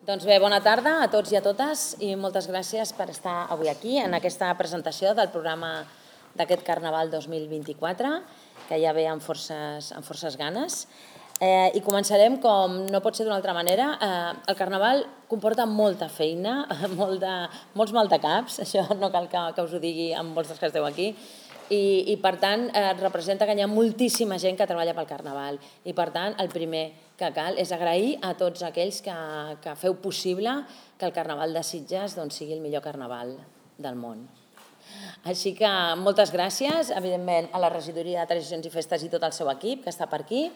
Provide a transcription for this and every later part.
Doncs bé, bona tarda a tots i a totes i moltes gràcies per estar avui aquí en aquesta presentació del programa d'aquest Carnaval 2024, que ja ve amb forces ganes. I començarem, com no pot ser d'una altra manera. El Carnaval comporta molta feina, molts maldecaps, això no cal que us ho digui amb molts dels que esteu aquí, i per tant representa que hi ha moltíssima gent que treballa pel Carnaval i per tant el primer que cal és agrair a tots aquells que feu possible que el Carnaval de Sitges sigui el millor Carnaval del món. Així que moltes gràcies, evidentment, a la Regidoria de Tradicions i Festes i tot el seu equip que està per aquí,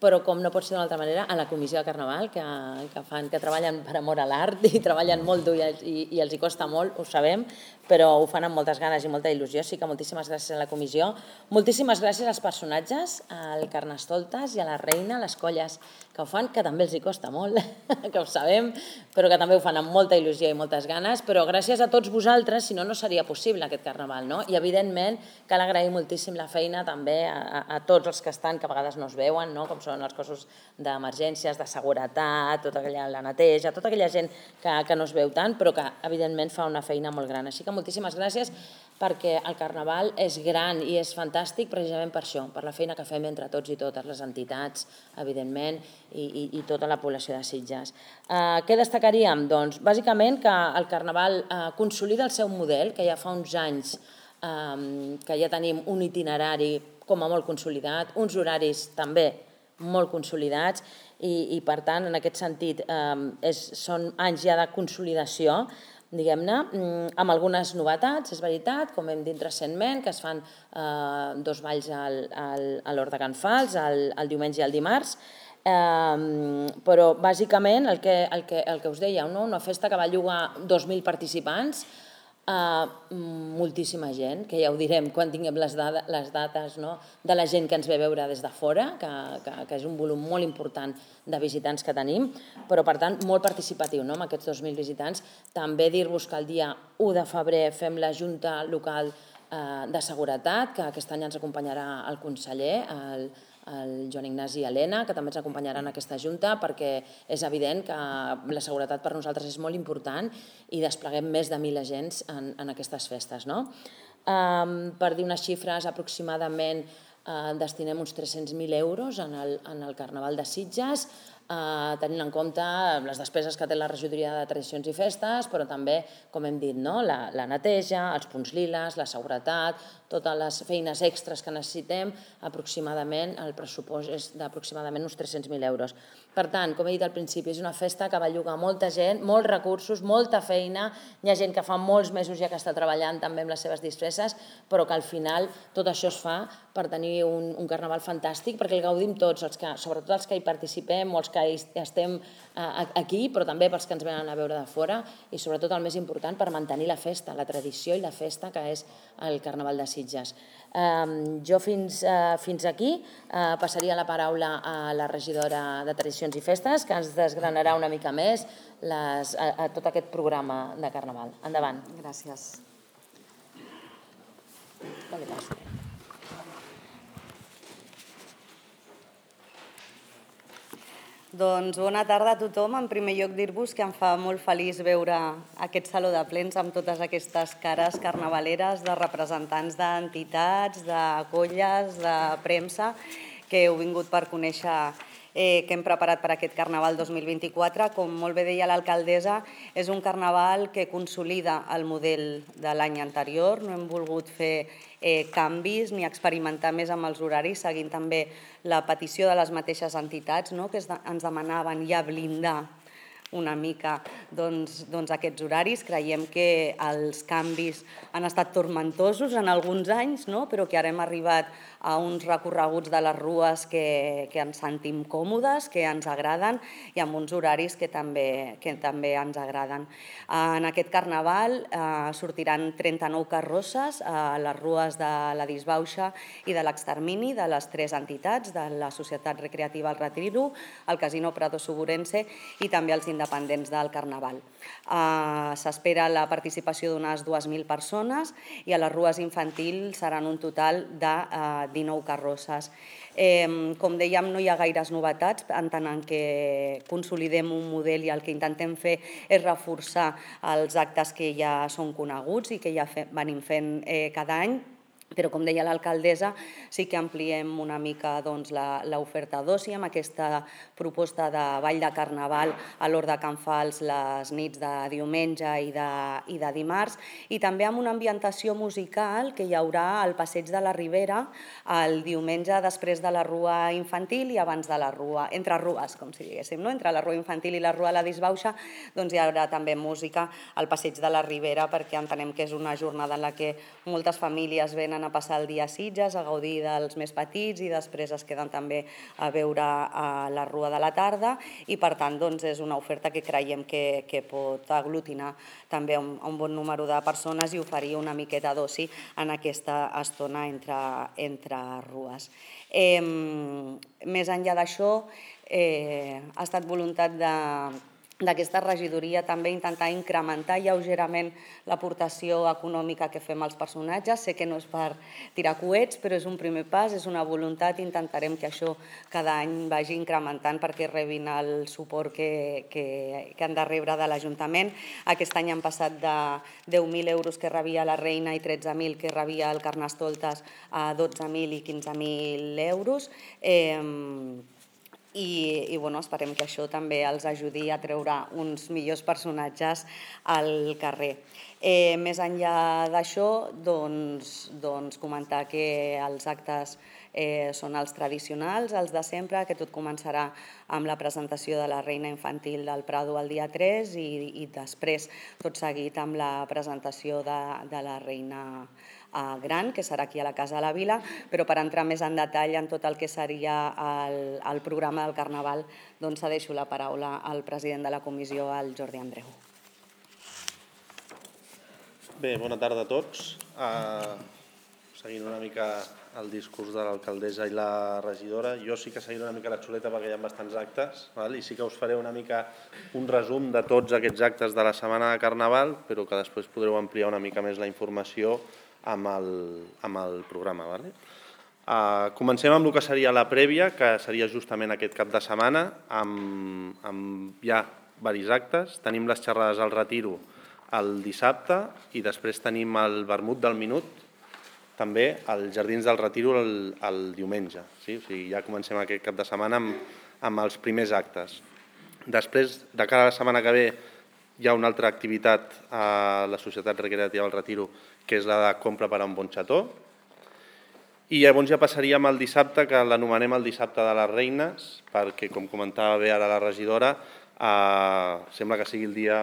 però com no pot ser d'una altra manera, a la Comissió de Carnaval, que treballen per amor a l'art i treballen molt dur i els hi costa molt, ho sabem, però ho fan amb moltes ganes i molta il·lusió, així que moltíssimes gràcies a la comissió. Moltíssimes gràcies als personatges, al Carnestoltes i a la Reina, les colles que ho fan, que també els hi costa molt, que ho sabem, però que també ho fan amb molta il·lusió i moltes ganes, però gràcies a tots vosaltres, si no, no seria possible aquest Carnaval, no? I evidentment cal agrair moltíssim la feina també a tots els que estan, que a vegades no es veuen, no? Com són els cossos d'emergències, de seguretat, tota la neteja, tota aquella gent que no es veu tant, però que evidentment fa una feina molt gran. Així que moltíssimes gràcies, perquè el Carnaval és gran i és fantàstic precisament per això, per la feina que fem entre tots i totes, les entitats, evidentment, i tota la població de Sitges. Què destacaríem? Doncs bàsicament que el Carnaval consolida el seu model, que ja fa uns anys que ja tenim un itinerari com a molt consolidat, uns horaris també molt consolidats i per tant, en aquest sentit, són anys ja de consolidació, diguem-ne, amb algunes novetats, és veritat, com hem dit recentment, que es fan 2 balls a l'Hort de Can Fals, el diumenge i el dimarts, però bàsicament el que us deia, una festa que va llogar 2.000 participants, moltíssima gent, que ja ho direm quan tinguem les dates de la gent que ens ve a veure des de fora, que és un volum molt important de visitants que tenim, però per tant molt participatiu amb aquests 2.000 visitants. També dir-vos que el dia 1 de febrer fem la Junta Local de Seguretat, que aquest any ens acompanyarà el conseller, el Joan Ignasi Elena, que també ens acompanyarà en aquesta junta, perquè és evident que la seguretat per nosaltres és molt important i despleguem més de 1.000 agents en aquestes festes. Per dir unes xifres, aproximadament destinem uns 300.000 euros en el Carnaval de Sitges, tenint en compte les despeses que té la Regidoria de Tradicions i Festes, però també, com hem dit, la neteja, els punts liles, la seguretat, totes les feines extres que necessitem, aproximadament el pressupost és d'aproximadament uns 300.000 euros. Per tant, com he dit al principi, és una festa que va llogar molta gent, molts recursos, molta feina, hi ha gent que fa molts mesos ja que està treballant també amb les seves disfresses, però que al final tot això es fa per tenir un Carnaval fantàstic, perquè el gaudim tots, sobretot els que hi participem o els que estem aquí, però també pels que ens venen a veure de fora i sobretot el més important per mantenir la festa, la tradició i la festa que és el Carnaval de Sitges. Jo fins aquí passaria la paraula a la regidora de Tradicions i Festes, que ens desgranarà una mica més tot aquest programa de Carnaval. Endavant. Gràcies. Doncs bona tarda a tothom. En primer lloc dir-vos que em fa molt feliç veure aquest saló de plens amb totes aquestes cares carnavaleres de representants d'entitats, de colles, de premsa, que heu vingut per conèixer que hem preparat per aquest Carnaval 2024. Com molt bé deia l'alcaldessa, és un Carnaval que consolida el model de l'any anterior. No hem volgut fer canvis ni experimentar més amb els horaris, seguint també la petició de les mateixes entitats, que ens demanaven ja blindar una mica aquests horaris. Creiem que els canvis han estat tormentosos en alguns anys, però que ara hem arribat a uns recorreguts de les rues que ens sentim còmodes, que ens agraden i amb uns horaris que també ens agraden. En aquest Carnaval sortiran 39 carrosses a les rues de la Disbauxa i de l'Extermini de les 3 entitats, de la Societat Recreativa El Retiro, el Casino Prado Suburense i també els independents del Carnaval. S'espera la participació d'unes 2.000 persones i a les rues infantils seran un total de 19 carrosses. Com dèiem, no hi ha gaires novetats, en tant que consolidem un model i el que intentem fer és reforçar els actes que ja són coneguts i que ja venim fent cada any. Però, com deia l'alcaldessa, sí que ampliem una mica l'oferta d'oci amb aquesta proposta de ball de carnaval a l'Hort de Can Fals les nits de diumenge i de dimarts, i també amb una ambientació musical que hi haurà al Passeig de la Ribera el diumenge després de la rua infantil i abans de la rua, entre rues, com si diguéssim, entre la rua infantil i la rua de la Disbauxa, doncs hi haurà també música al Passeig de la Ribera, perquè entenem que és una jornada en la que moltes famílies venen a passar el dia a Sitges, a gaudir dels més petits i després es queden també a veure la rua de la tarda, i per tant és una oferta que creiem que pot aglutinar també un bon número de persones i oferir una miqueta d'oci en aquesta estona entre rues. Més enllà d'això, ha estat voluntat d'aquesta regidoria també intentar incrementar lleugerament l'aportació econòmica que fem als personatges. Sé que no és per tirar coets, però és un primer pas, és una voluntat, i intentarem que això cada any vagi incrementant perquè rebin el suport que han de rebre de l'Ajuntament. Aquest any han passat de 10.000 euros que rebia la Reina i 13.000 que rebia el Carnestoltes a 12.000 i 15.000 euros. I esperem que això també els ajudi a treure uns millors personatges al carrer. Més enllà d'això, comentar que els actes són els tradicionals, els de sempre, que tot començarà amb la presentació de la Reina Infantil del Prado el dia 3 i després, tot seguit, amb la presentació de la Reina Gran, que serà aquí a la Casa de la Vila, però per entrar més en detall en tot el que seria el programa del Carnaval, cedeixo la paraula al president de la comissió, al Jordi Andreu. Bé, bona tarda a tots. Seguint una mica el discurs de l'alcaldessa i la regidora, jo sí que seguiré una mica la xuleta perquè hi ha bastants actes, i sí que us faré una mica un resum de tots aquests actes de la setmana de Carnaval, però que després podreu ampliar una mica més la informació amb el programa. Comencem amb el que seria la prèvia, que seria justament aquest cap de setmana, amb ja diversos actes. Tenim les xerrades al Retiro el dissabte i després tenim el vermut del minut, també als Jardins del Retiro el diumenge. O sigui, ja comencem aquest cap de setmana amb els primers actes. Després, de cara a la setmana que ve, hi ha una altra activitat a la Societat Recreativa del Retiro, que és la de compra per a un bon xató. I llavors ja passaríem al dissabte, que l'anomenem el dissabte de les Reines, perquè, com comentava bé ara la regidora, sembla que sigui el dia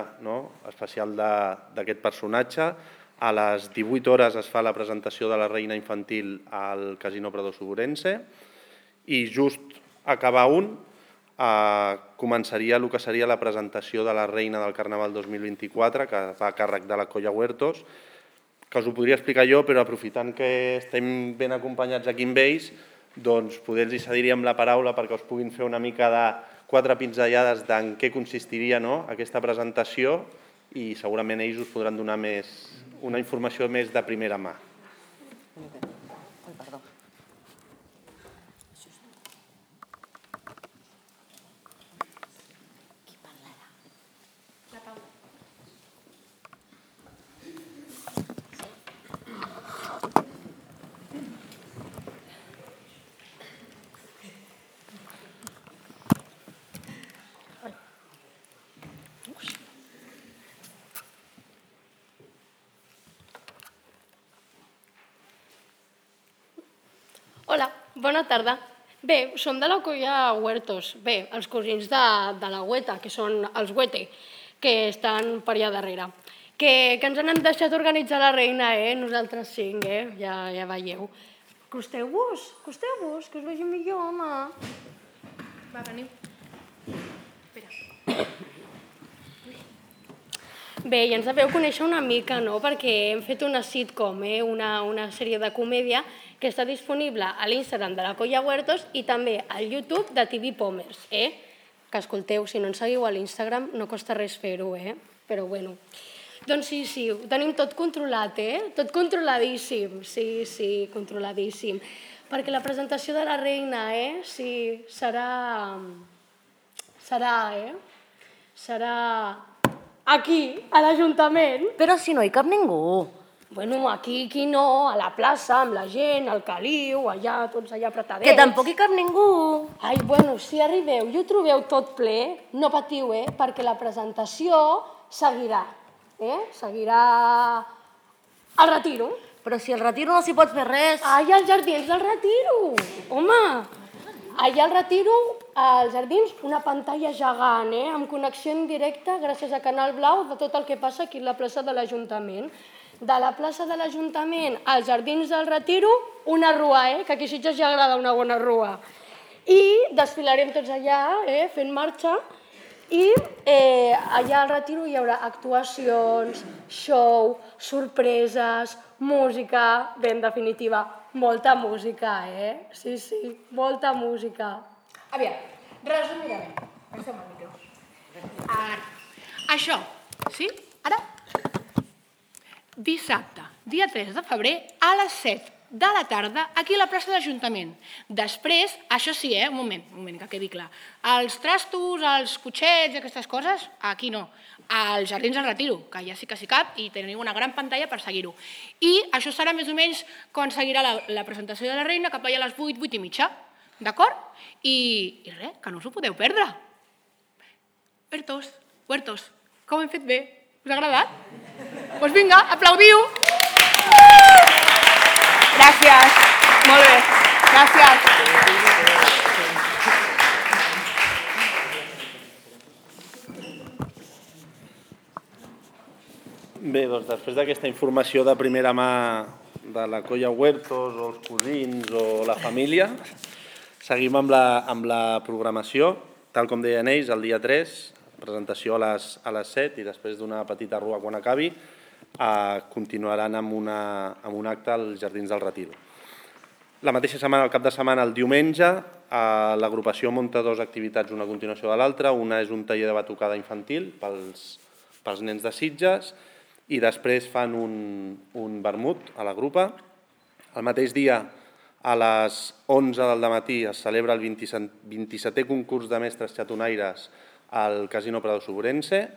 especial d'aquest personatge. A les 18 hores es fa la presentació de la Reina Infantil al Casino Prado Suburense i just acabar començaria el que seria la presentació de la Reina del Carnaval 2024, que fa a càrrec de la Colla Huertos, que us ho podria explicar jo, però aprofitant que estem ben acompanyats aquí amb ells, doncs poder els cediríem la paraula perquè us puguin fer una mica de 4 pinzellades d'en què consistiria aquesta presentació i segurament ells us podran donar una informació més de primera mà. Hola, bona tarda. Bé, som de la Colla Huertos. Bé, els cosins de la Hueta, que són els Huete, que estan per allà darrere. Que ens han deixat organitzar la Reina, nosaltres 5, ja veieu. Costeu-vos, que us vegi millor, home. Va, veniu. Bé, ja ens deveu conèixer una mica, no?, perquè hem fet una sitcom, una sèrie de comèdia que està disponible a l'Instagram de la Colla Huertos i també al YouTube de TV Pomers, que escolteu, si no ens seguiu a l'Instagram no costa res fer-ho, però bueno. Doncs sí, ho tenim tot controlat, tot controladíssim, sí, controladíssim. perquè la presentació de la reina, sí, serà aquí, a l'Ajuntament. Però si no hi cap ningú. Bueno, aquí no, a la plaça, amb la gent, al caliu, allà, tots allà apretadets. Que tampoc hi cap ningú. Ai, bueno, si arribeu i ho trobeu tot ple, no patiu, perquè la presentació seguirà. Seguirà al Retiro. Però si al Retiro no s'hi pot fer res. Ai, als jardins del Retiro! Home! Allà al Retiro, als jardins, una pantalla gegant, amb connexió en directe, gràcies a Canal Blau, de tot el que passa aquí a la plaça de l'Ajuntament. De la plaça de l'Ajuntament als jardins del Retiro, una rua, que aquí a Sitges ja agrada una bona rua. I desfilarem tots allà, fent marxa, i allà al Retiro hi haurà actuacions, show, sorpreses, música, bé, en definitiva, molta música, Sí, molta música. Aviam, resumirem. Passem el micro. Això, sí? Ara? Dissabte, dia 3 de febrer, a les 7 de la tarda, aquí a la plaça de l'Ajuntament. Després, això sí, un moment, que quedi clar. Els trastos, els cotxets i aquestes coses, aquí no. Als Jardins del Retiro, que ja sí que s'hi cap i teniu una gran pantalla per seguir-ho. I això serà més o menys quan seguirà la presentació de la reina, cap allà a les 8, 8 i mitja. D'acord? I res, que no us ho podeu perdre. Huertos, que ho hem fet bé. Us ha agradat? Doncs vinga, aplaudiu! Gràcies. Molt bé. Gràcies. Bé, doncs després d'aquesta informació de primera mà de la colla Huertos, o els cosins, o la família, seguim amb la programació. Tal com deien ells, el dia 3, presentació a les 7 i després d'una petita rua quan acabi, continuaran amb un acte als Jardins del Retiro. La mateixa setmana, el cap de setmana, el diumenge, l'agrupació munta dues activitats, una a continuació de l'altra. Una és un taller de batucada infantil pels nens de Sitges i després fan un vermut a la grupa. El mateix dia, a les 11 del dematí, es celebra el 27è concurs de mestres xatonaires al Casino Prado Sobrense.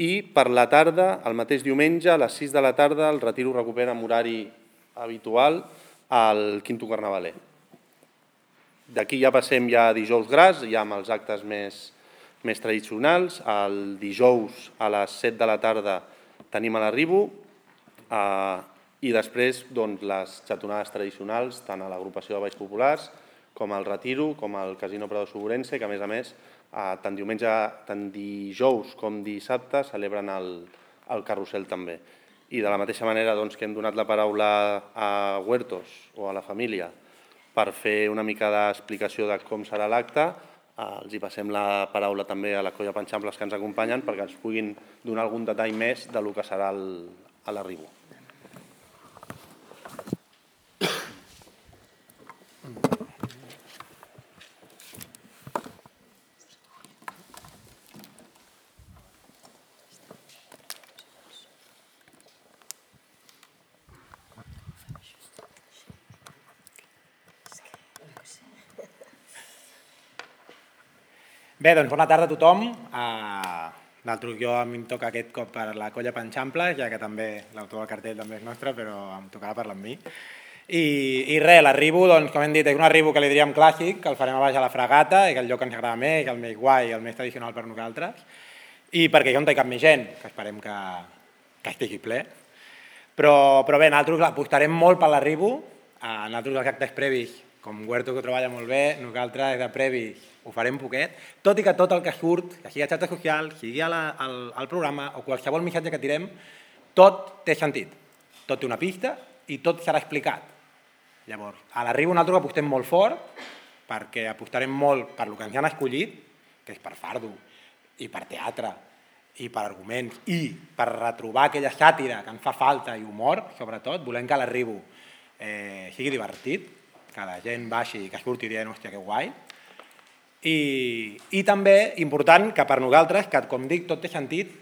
I per la tarda, el mateix diumenge, a les 6 de la tarda, el Retiro recupera amb horari habitual al Quinto Carnavaler. D'aquí ja passem ja a dijous gras, ja amb els actes més tradicionals. El dijous a les 7 de la tarda tenim a l'arribo i després les xatonades tradicionals, tant a l'agrupació de Balls Populars com al Retiro, com al Casino Prado Sobrense, que a més, tant dijous com dissabte celebren el carrusel també. I de la mateixa manera que hem donat la paraula a Huertos o a la família per fer una mica d'explicació de com serà l'acte, els hi passem la paraula també a la colla Panxamples que ens acompanyen perquè ens puguin donar algun detall més del que serà a l'arribo. Bé, doncs bona tarda a tothom. Jo a mi em toca aquest cop per la colla Panxamples, ja que també l'autor del cartell també és nostre, però em tocava parlar amb mi. I res, l'arribo, com hem dit, és un arribo que li diríem clàssic, que el farem a baix a la Fragata, i que el lloc que ens agrada més, el més guai, el més tradicional per nosaltres, i perquè jo no hi cap més gent, que esperem que estigui ple. Però bé, nosaltres apostarem molt per l'arribo, nosaltres els actes previs, com Huerto que ho treballa molt bé, nosaltres de previs ho farem poquet, tot i que tot el que surt, que sigui a xarxes socials, sigui al programa o qualsevol missatge que tirem, tot té sentit, tot té una pista i tot serà explicat. Llavors, a l'arribo nosaltres apostem molt fort perquè apostarem molt per el que ens han escollit, que és per fardo i per teatre i per arguments i per retrobar aquella sàtira que ens fa falta i humor, sobretot, volem que l'arribo sigui divertit, que la gent baixi i que surti dient, hòstia, que guai. I també important que per nosaltres, que com dic, tot té sentit,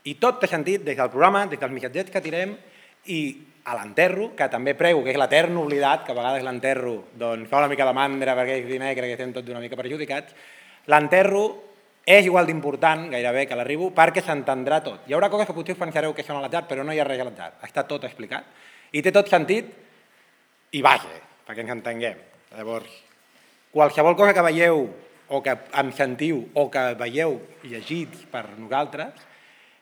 i tot té sentit des del programa, des dels missatgets que tirem, i a l'enterro, que també prego, que és l'etern oblidat, que a vegades l'enterro fa una mica de mandra perquè és dimecres que estem tots una mica perjudicats. L'enterro és igual d'important, gairebé, que l'arribo, perquè s'entendrà tot. Hi haurà coses que potser us pensareu que són a l'atzar, però no hi ha res a l'atzar. Està tot explicat. I té tot sentit i vaja, perquè ens entenguem. Llavors, qualsevol cosa que veieu o que em sentiu o que veieu llegits per nosaltres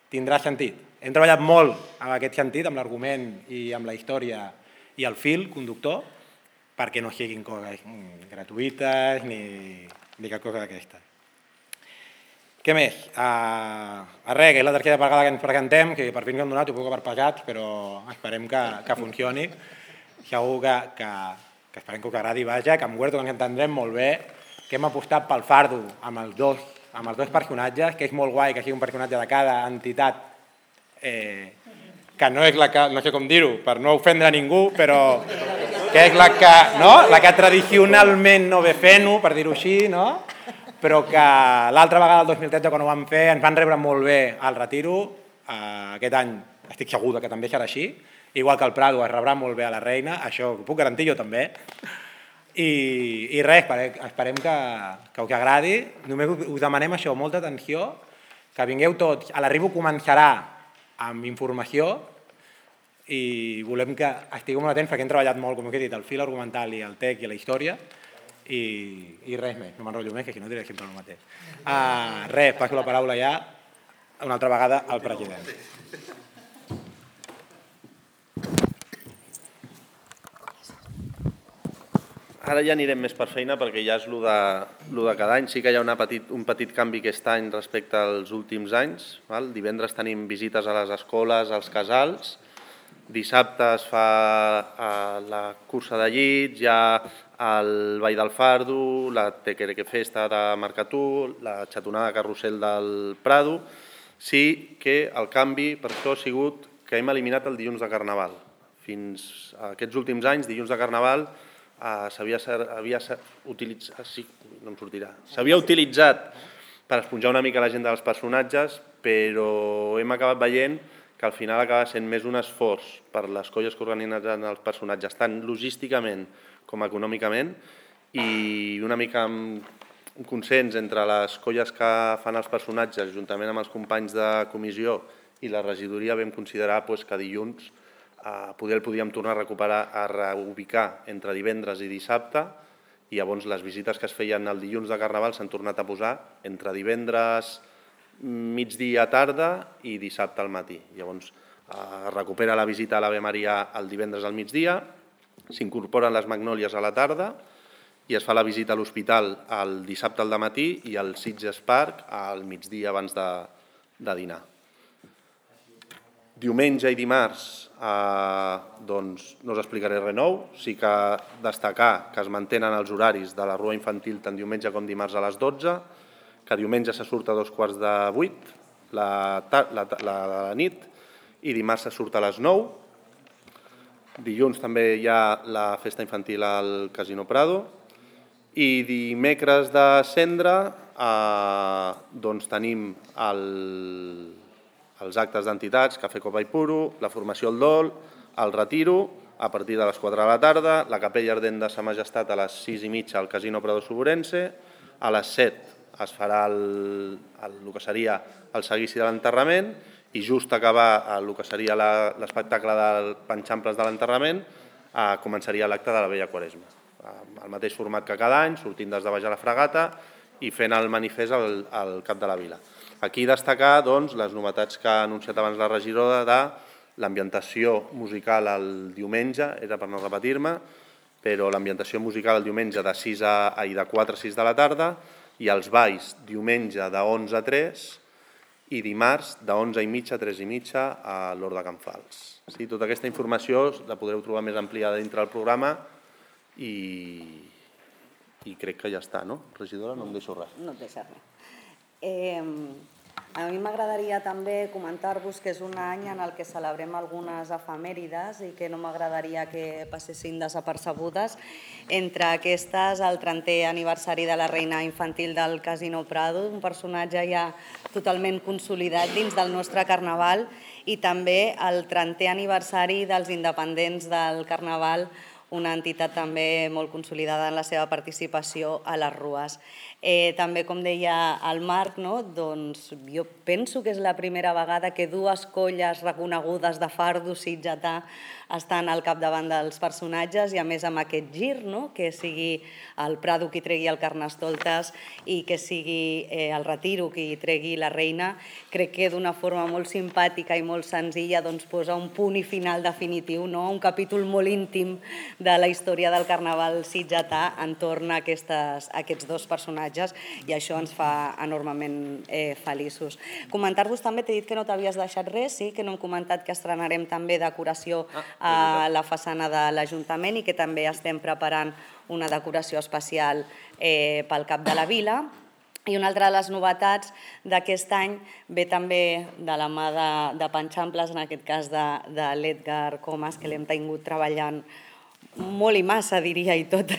tindrà sentit. Hem treballat molt en aquest sentit, amb l'argument i amb la història i el fil conductor, perquè no siguin coses gratuïtes ni cap cosa d'aquesta. Què més? Res, que és la tercera vegada que ens presentem, que per fi ens hem donat un poc per pagats, però esperem que funcioni. Segur que esperem que us agradi, vaja, que amb Huerto ens entendrem molt bé, que hem apostat pel fardo amb els dos personatges, que és molt guai que sigui un personatge de cada entitat, que no és la que, no sé com dir-ho, per no ofendre a ningú, però que és la que tradicionalment no ve fent-ho, per dir-ho així, no? Però que l'altra vegada, el 2013, quan ho vam fer, ens van rebre molt bé al retiro. Aquest any estic segur que també serà així, igual que el Prado es rebrà molt bé a la Reina, això ho puc garantir jo també. I res, esperem que us agradi. Només us demanem això, molta atenció, que vingueu tots. A l'arribo començarà amb informació i volem que estigueu molt atents perquè hem treballat molt, com us he dit, el fil argumental i el text i la història i res més, no m'enrotllo més, que si no diré sempre el mateix. Res, passo la paraula ja una altra vegada al president. Ara ja anirem més per feina perquè ja és lo de cada any. Sí que hi ha un petit canvi aquest any respecte als últims anys. Divendres tenim visites a les escoles, als casals. Dissabte es fa la cursa de llits, hi ha el Ball del Fardo, la Tequereque Festa de Mercatú, la xatonada carrusel del Prado. Sí que el canvi per això ha sigut que hem eliminat el dilluns de Carnaval. Fins a aquests últims anys, dilluns de Carnaval, s'havia utilitzat per esponjar una mica l'agenda dels personatges, però hem acabat veient que al final acaba sent més un esforç per les colles que organitzen els personatges, tant logísticament com econòmicament, i una mica amb un consens entre les colles que fan els personatges, juntament amb els companys de comissió i la regidoria, vam considerar que dilluns poder el podíem tornar a recuperar, a reubicar entre divendres i dissabte, i llavors les visites que es feien el dilluns de Carnaval s'han tornat a posar entre divendres migdia tarda i dissabte al matí. Llavors es recupera la visita a l'Ave Maria el divendres al migdia, s'incorporen les Magnòlies a la tarda i es fa la visita a l'hospital el dissabte al dematí i al Sitges Park al migdia abans de dinar. Diumenge i dimarts no us explicaré res nou, sí que destacar que es mantenen els horaris de la rua infantil tant diumenge com dimarts a les 12, que diumenge se surt a 7:45 la nit i dimarts se surt a les 9. Dilluns també hi ha la festa infantil al Casino Prado i dimecres de Cendra tenim els actes d'entitats, Cafè Copa i Puro, la formació al Dol, el retiro, a partir de les 4 de la tarda, la capella ardent de Sa Majestat a les 6:30 al Casino Prado Soborense, a les 7 es farà el que seria el seguici de l'enterrament i just acabar el que seria l'espectacle del Panxamples de l'enterrament començaria l'acte de la Vella Quaresma. El mateix format que cada any, sortint des de baix a la Fragata i fent el manifest al cap de la vila. Aquí destacar les novetats que ha anunciat abans la regidora de l'ambientació musical el diumenge, era per no repetir-me, però l'ambientació musical el diumenge de 4 a 6 de la tarda i els balls diumenge de 11 a 3 i dimarts de 11:30 a 3:30 a l'Hort de Can Fals. Tota aquesta informació la podreu trobar més ampliada dintre del programa i crec que ja està, no? Regidora, no em deixo res. No et deixa res. A mi m'agradaria també comentar-vos que és un any en el que celebrem algunes efemèrides i que no m'agradaria que passessin desapercebudes. Entre aquestes, el 30è aniversari de la reina infantil del Casino Prado, un personatge ja totalment consolidat dins del nostre carnaval, i també el 30è aniversari dels independents del carnaval, una entitat també molt consolidada en la seva participació a les rues. També, com deia el Marc, doncs jo penso que és la primera vegada que dues colles reconegudes de fardo sitgetà estan al capdavant dels personatges i a més amb aquest gir, que sigui el Prado qui tregui el Carnestoltes i que sigui el Retiro qui tregui la reina. Crec que d'una forma molt simpàtica i molt senzilla doncs posa un punt i final definitiu, un capítol molt íntim de la història del carnaval sitgetà entorn a aquests dos personatges i això ens fa enormement feliços. Comentar-vos també, t'he dit que no t'havies deixat res, sí, que no hem comentat que estrenarem també decoració a la façana de l'Ajuntament i que també estem preparant una decoració especial pel Cap de la Vila. I una altra de les novetats d'aquest any ve també de la mà de Panxamples, en aquest cas de l'Edgar Comas, que l'hem tingut treballant molt i massa, diria, i tot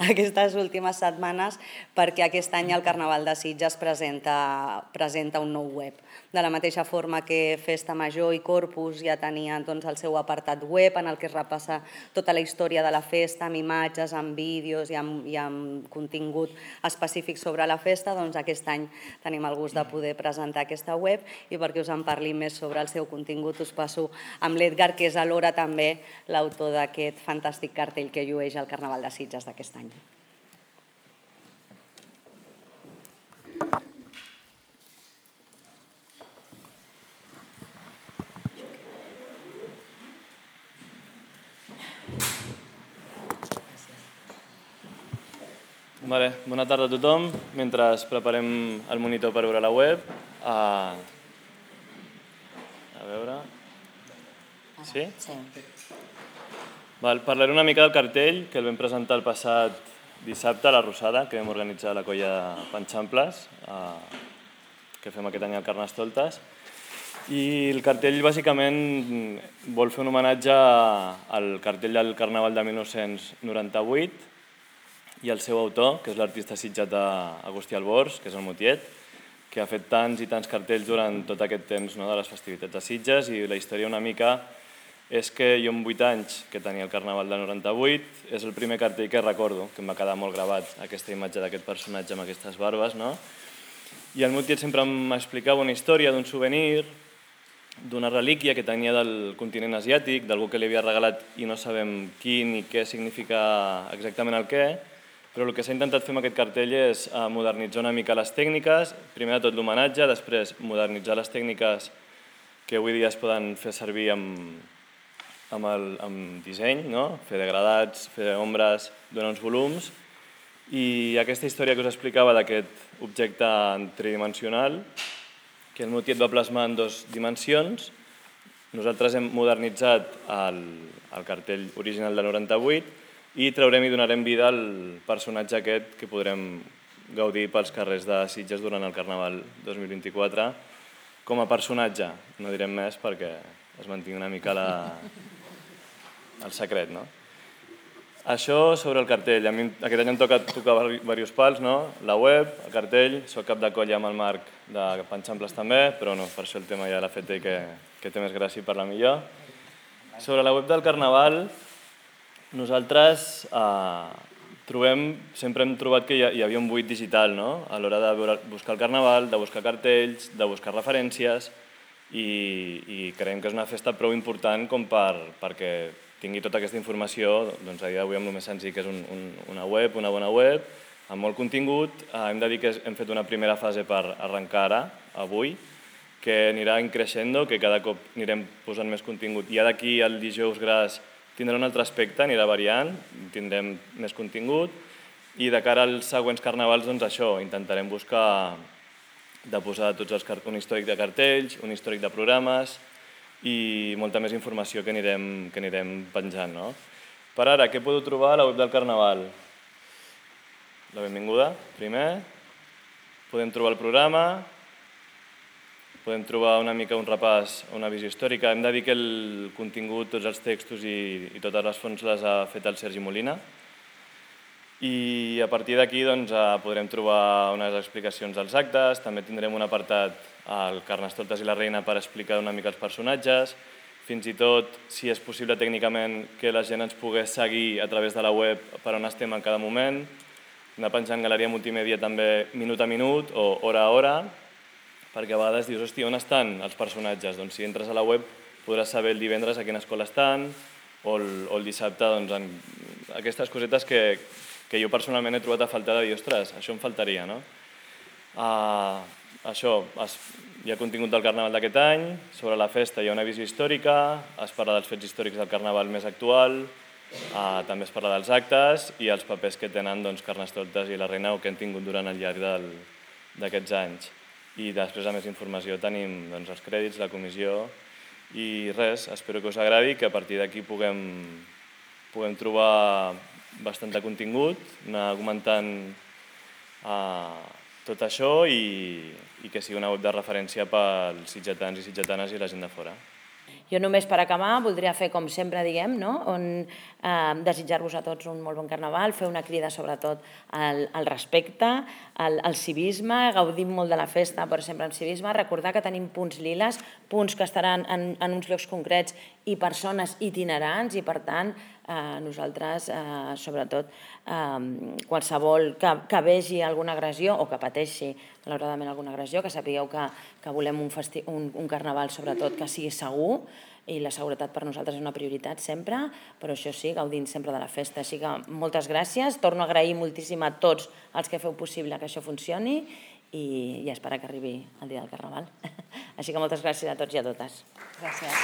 aquestes últimes setmanes, perquè aquest any el Carnaval de Sitges presenta un nou web. De la mateixa forma que Festa Major i Corpus ja tenien el seu apartat web en el que es repassa tota la història de la festa amb imatges, amb vídeos i amb contingut específic sobre la festa, doncs aquest any tenim el gust de poder presentar aquesta web i perquè us en parli més sobre el seu contingut us passo amb l'Edgar, que és alhora també l'autor d'aquest fantàstic cartell que llueix el Carnaval de Sitges d'aquest any. Bona tarda a tothom. Mentre preparem el monitor per veure la web, a veure... Sí? Sí. Parlaré una mica del cartell que el vam presentar el passat dissabte a la Rosada, que vam organitzar la colla Panxamples, que fem aquest any al Carnestoltes. I el cartell bàsicament vol fer un homenatge al cartell del Carnaval de 1998 i el seu autor, que és l'artista sitgetà Agustí Albors, que és el Motiet, que ha fet tants i tants cartells durant tot aquest temps de les festivitats de Sitges, i la història una mica és que jo amb 8 anys, que tenia el Carnaval del 98, és el primer cartell que recordo, que em va quedar molt gravat aquesta imatge d'aquest personatge amb aquestes barbes, i el Motiet sempre m'explicava una història d'un souvenir, d'una relíquia que tenia del continent asiàtic, d'algú que li havia regalat i no sabem qui ni què significa exactament el què, però el que s'ha intentat fer amb aquest cartell és modernitzar una mica les tècniques, primer de tot l'homenatge, després modernitzar les tècniques que avui dia es poden fer servir amb disseny, fer degradats, fer ombres, donar uns volums, i aquesta història que us explicava d'aquest objecte tridimensional, que el Motiet va plasmar en 2 dimensions, nosaltres hem modernitzat el cartell original del 98 i traurem i donarem vida al personatge aquest que podrem gaudir pels carrers de Sitges durant el Carnaval 2024 com a personatge. No direm més perquè es mantingui una mica el secret. Això sobre el cartell. A mi aquest any em toca tocar diversos pals, la web, el cartell, soc cap de colla amb el Marc de Panxamples també, però per això el tema ja l'ha fet ell, que té més gràcia i parla millor. Sobre la web del Carnaval, nosaltres sempre hem trobat que hi havia un buit digital a l'hora de buscar el Carnaval, de buscar cartells, de buscar referències, i creiem que és una festa prou important com perquè tingui tota aquesta informació a dia d'avui amb el més senzill que és una bona web, amb molt contingut. Hem de dir que hem fet una primera fase per arrencar ara, avui, que anirà creixent, que cada cop anirem posant més contingut. I d'aquí al dijous gras tindrà un altre aspecte, anirà variant, tindrem més contingut, i de cara als següents carnavals, això, intentarem buscar de posar un històric de cartells, un històric de programes i molta més informació que anirem penjant. Per ara, què podeu trobar a la web del Carnaval? La benvinguda, primer. Podem trobar el programa, podem trobar una mica un repàs, una visió històrica. Hem de dir que el contingut, tots els textos i totes les fonts les ha fet el Sergi Molina. I a partir d'aquí podrem trobar unes explicacions dels actes, també tindrem un apartat al Carnestoltes i la Reina per explicar una mica els personatges, fins i tot, si és possible tècnicament, que la gent ens pogués seguir a través de la web per on estem en cada moment, anar penjant Galeria Multimèdia també minut a minut o hora a hora, perquè a vegades dius, hòstia, on estan els personatges? Doncs si entres a la web podràs saber el divendres a quina escola estan o el dissabte, aquestes cosetes que jo personalment he trobat a faltar de dir, ostres, això em faltaria, no? Això, hi ha contingut del Carnaval d'aquest any, sobre la festa hi ha una visió històrica, es parla dels fets històrics del Carnaval més actual, també es parla dels actes i els papers que tenen Carnestoltes i la Reina o que han tingut durant el llarg d'aquests anys. I després, a més informació, tenim els crèdits, la comissió i res, espero que us agradi, que a partir d'aquí puguem trobar bastant de contingut, anar comentant tot això i que sigui una web de referència pels sitgetans i sitgetanes i la gent de fora. Jo només per acabar voldria fer com sempre diguem, desitjar-vos a tots un molt bon Carnaval, fer una crida sobretot al respecte, al civisme, gaudim molt de la festa però sempre amb civisme, recordar que tenim punts liles, punts que estaran en uns llocs concrets i persones itinerants i per tant nosaltres sobretot qualsevol que vegi alguna agressió o que pateixi malauradament alguna agressió, que sapigueu que volem un Carnaval sobretot que sigui segur i la seguretat per nosaltres és una prioritat sempre, però això sí, gaudint sempre de la festa. Així que moltes gràcies, torno a agrair moltíssim a tots els que feu possible que això funcioni i esperar que arribi el dia del Carnaval. Així que moltes gràcies a tots i a totes. Gràcies.